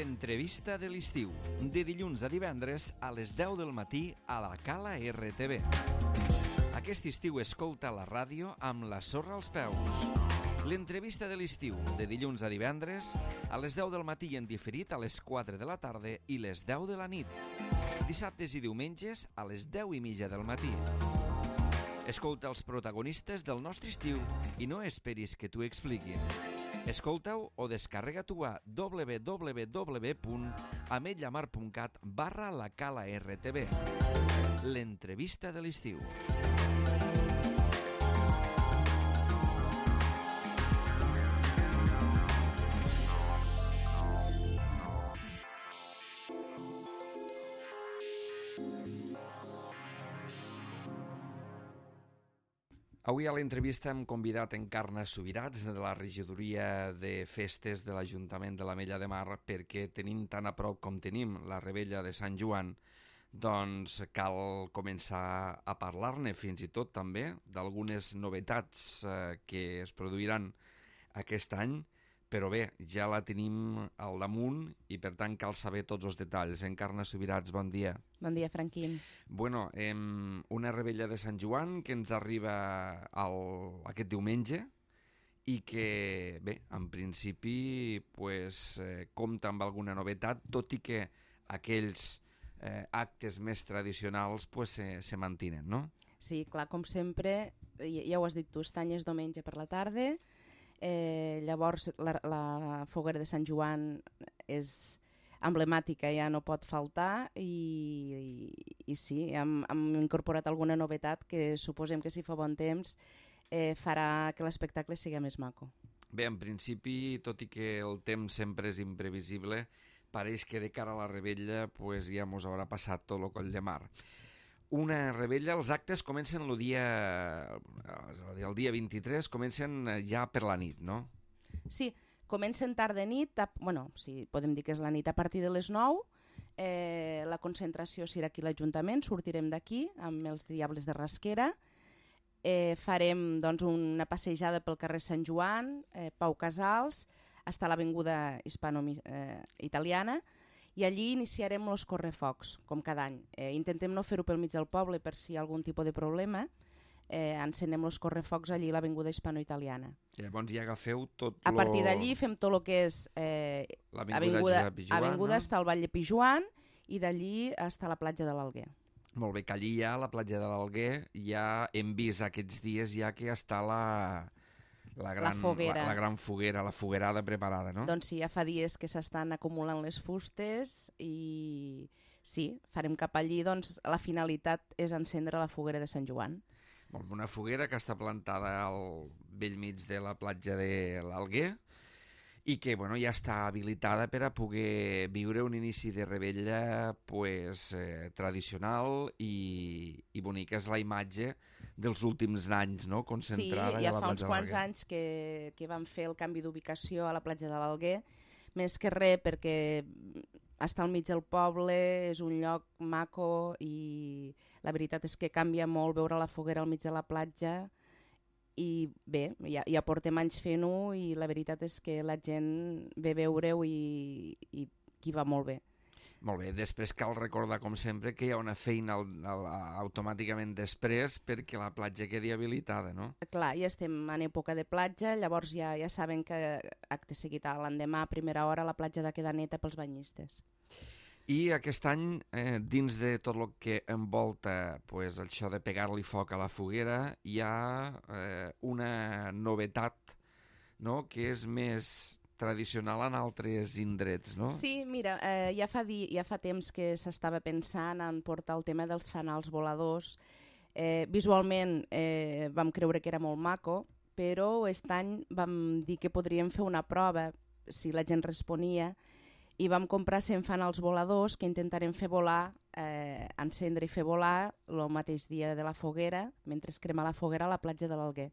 L'entrevista de l'estiu, de dilluns a divendres a les 10 del matí a la Cala RTV. Aquest estiu escolta la ràdio amb la sorra als peus. L'entrevista de l'estiu, de dilluns a divendres a les 10 del matí i en diferit a les 4 de la tarda i les 10 de la nit. Dissabtes i diumenges a les 10:30 del matí. Escolta els protagonistes del nostre estiu i no esperis que t'ho expliquin. Escolta-ho o descarrega-t'ho a www.ametlllamar.cat/la Cala RTV. L'entrevista de l'estiu. Avui a l'entrevista hem convidat Encarna Subirats de la regidoria de festes de l'Ajuntament de l'Ametlla de Mar, perquè tenint tan a prop com tenim la Rebella de Sant Joan, doncs cal començar a parlar-ne fins i tot també d'algunes novetats que es produiran aquest any, però bé, ja la tenim al damunt i per tant cal saber tots els detalls. Encarna Subirats, bon dia. Bon dia, Franquín. Bueno, una Rebella de Sant Joan que ens arriba aquest diumenge i que, bé, en principi pues, compta amb alguna novetat, tot i que aquells actes més tradicionals pues, se mantenen, no? Sí, clar, com sempre, ja ho has dit tu, aquest any és diumenge per la tarda. Llavors la foguera de Sant Joan és emblemàtica, ja no pot faltar i sí, hem incorporat alguna novetat que suposem que si fa bon temps farà que l'espectacle sigui més maco. Bé, en principi, tot i que el temps sempre és imprevisible, pareix que de cara a la Rebella pues, ja mos haurà passat tot el coll de mar. Una Rebella, els actes comencen el dia 23, comencen ja per la nit, no? Sí, comencen tard de nit, sí, podem dir que és la nit a partir de les 9, la concentració serà aquí a l'Ajuntament, sortirem d'aquí amb els Diables de Rasquera, farem doncs, una passejada pel carrer Sant Joan, Pau Casals, fins a l'avinguda hispano-italiana, i allí iniciarem els correfocs, com cada any. Intentem no fer-ho pel mig del poble per si hi ha algun tipus de problema. Encenem els correfocs allí a l'avinguda hispano-italiana. Llavors ja agafeu tot... A partir d'allí fem tot el que és l'avinguda fins al Vall de Pijuan i d'allí fins a la platja de l'Alguer. Molt bé, que allí ja, a la platja de l'Alguer, ja hem vist aquests dies ja que està la gran foguera, la foguerada preparada, no? Doncs sí, ja fa dies que s'estan acumulant les fustes i sí, farem cap allí, doncs la finalitat és encendre la foguera de Sant Joan. Una foguera que està plantada al bell mig de la platja de l'Alguer i que ja està habilitada per a poder viure un inici de Rebella tradicional i bonica. És la imatge dels últims anys, no? Concentrada sí, ja fa uns quants anys que vam fer el canvi d'ubicació a la platja de l'Alguer, més que res perquè està al mig del poble, és un lloc maco i la veritat és que canvia molt veure la foguera al mig de la platja. I bé, ja portem anys fent-ho i la veritat és que la gent ve a veure-ho i qui va molt bé. Molt bé, després cal recordar, com sempre, que hi ha una feina automàticament després perquè la platja quedi habilitada, no? Clar, ja estem en època de platja, llavors ja saben que acte seguit l'endemà a primera hora la platja ha de quedar neta pels banyistes. I aquest any, dins de tot el que envolta això de pegar-li foc a la foguera, hi ha una novetat, no?, que és més tradicional en altres indrets, no? Sí, mira, ja fa temps que s'estava pensant en portar el tema dels fanals voladors. Visualment vam creure que era molt maco, però aquest any vam dir que podríem fer una prova si la gent responia i vam comprar 100 fanals voladors que intentarem fer volar, encendre i fer volar el mateix dia de la foguera, mentre es crema la foguera a la platja de l'Alguer.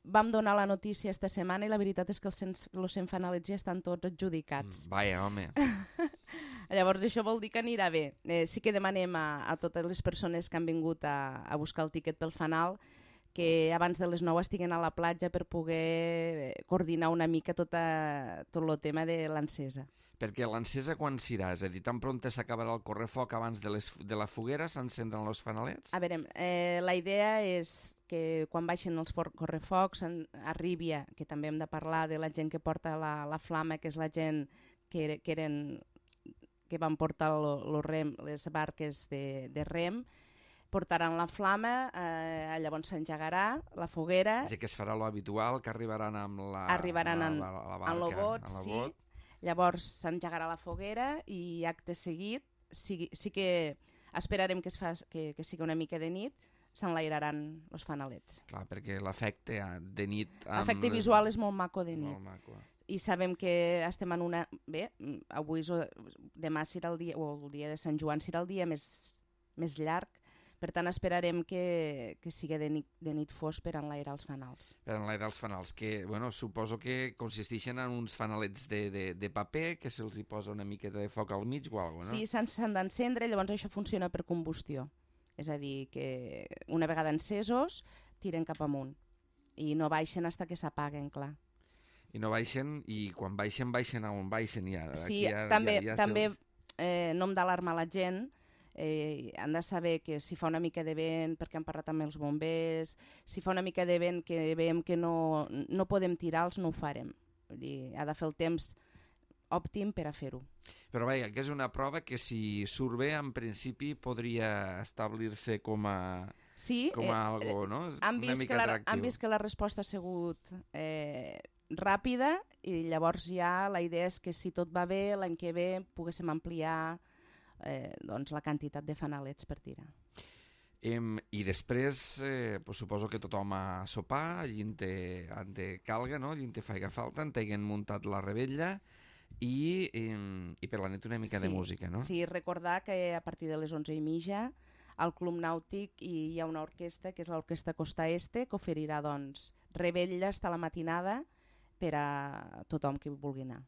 Vam donar la notícia esta setmana i la veritat és que els 100 fanalets ja estan tots adjudicats. Vaja, home. Llavors això vol dir que anirà bé. Sí que demanem a totes les persones que han vingut a buscar el tiquet pel fanal que abans de les 9 estiguen a la platja per poder coordinar una mica tot el tema de l'encesa. Perquè l'encesa quan serà? És a dir, tan prompte s'acabarà el correfoc abans de la foguera, s'encendran els fanalets? A veure, la idea és que quan baixen els correfocs arribi, que també hem de parlar de la gent que porta la flama, que és la gent que van portar les barques de rem, portaran la flama, llavors s'engegarà la foguera. És a dir, que es farà l'habitual, que arribaran amb la barca, en el bot, sí. Llavors s'engegarà la foguera i acte seguit, sí que esperarem que sigui una mica de nit, s'enlairaran els fanalets. Clar, perquè l'efecte de nit... L'efecte visual és molt maco de nit. Molt maco. I sabem que estem en una... Bé, demà serà el dia, o el dia de Sant Joan serà el dia més llarg, per tant esperarem que sigui de nit fos per enlairar els fanals. Per enlairar els fanals, que suposo que consisteixen en uns fanalets de paper, que se'ls hi posa una miqueta de foc al mig o alguna cosa, no? Sí, s'han d'encendre, llavors això funciona per combustió. És a dir, que una vegada encesos tiren cap amunt i no baixen fins que s'apaguen, clar. I no baixen, i quan baixen on baixen ja. Sí, també no hem d'alarmar la gent, han de saber que si fa una mica de vent, perquè han parlat amb els bombers, si fa una mica de vent que veiem que no podem tirar-los, no ho farem. Vull dir, ha de fer el temps òptim per a fer-ho. Però vaja, que és una prova que si surt bé, en principi podria establir-se com a algo, no? Han vist que la resposta ha sigut ràpida i llavors ja la idea és que si tot va bé, l'any que ve poguéssim ampliar la quantitat de fanalets per tirar. I després suposo que tothom a sopar, allí te calga, no? Allí te faiga falta, en t'haguen muntat la rebella i per la nit una mica de música, no? Sí, recordar que a partir de les 11:30 al Club Nàutic hi ha una orquestra, que és l'Orquestra Costa Este, que oferirà rebella fins a la matinada per a tothom que vulgui anar.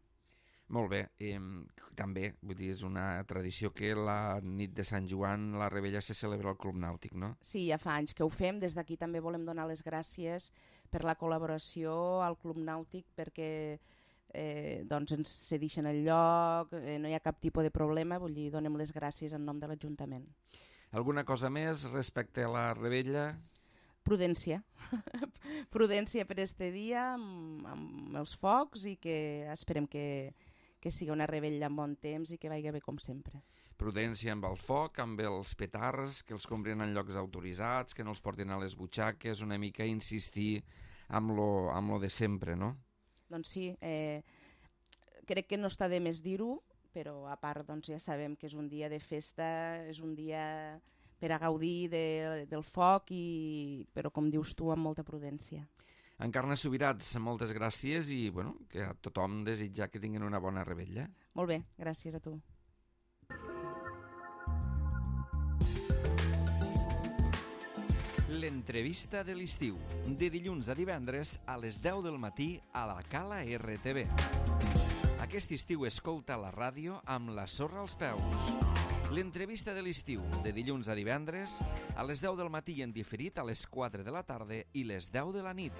Molt bé, també, vull dir, és una tradició que la nit de Sant Joan la rebella se celebra al Club Nàutic, no? Sí, ja fa anys que ho fem, des d'aquí també volem donar les gràcies per la col·laboració al Club Nàutic, perquè ens cedeixen el lloc, no hi ha cap tipus de problema, vull dir, donem les gràcies en nom de l'Ajuntament. Alguna cosa més respecte a la rebella? Prudència. Prudència per este dia amb els focs i que esperem que sigui una rebella amb bon temps i que vagi bé com sempre. Prudència amb el foc, amb els petards, que els comprin en llocs autoritzats, que no els portin a les butxaques, una mica insistir amb lo de sempre, no? Doncs sí, crec que no està de més dir-ho, però a part ja sabem que és un dia de festa, és un dia per a gaudir del foc, però com dius tu, amb molta prudència. Encarna Subirats, moltes gràcies i que a tothom desitjar que tinguin una bona rebella. Molt bé, gràcies a tu. L'entrevista de l'estiu, de dilluns a divendres a les 10 del matí a la Cala RTV. Aquest estiu escolta la ràdio amb la sorra als peus. L'entrevista de l'estiu, de dilluns a divendres, a les 10 del matí en diferit a les 4 de la tarda i les 10 de la nit.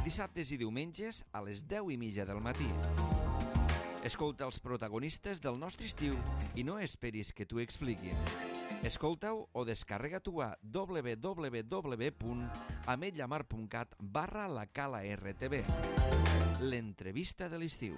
Dissabtes i diumenges a les 10:30 del matí. Escolta els protagonistes del nostre estiu i no esperis que t'ho expliquin. Escolta-ho o descarrega-t'ho a www.ametlllamar.cat/la Cala RTV. L'entrevista de l'estiu.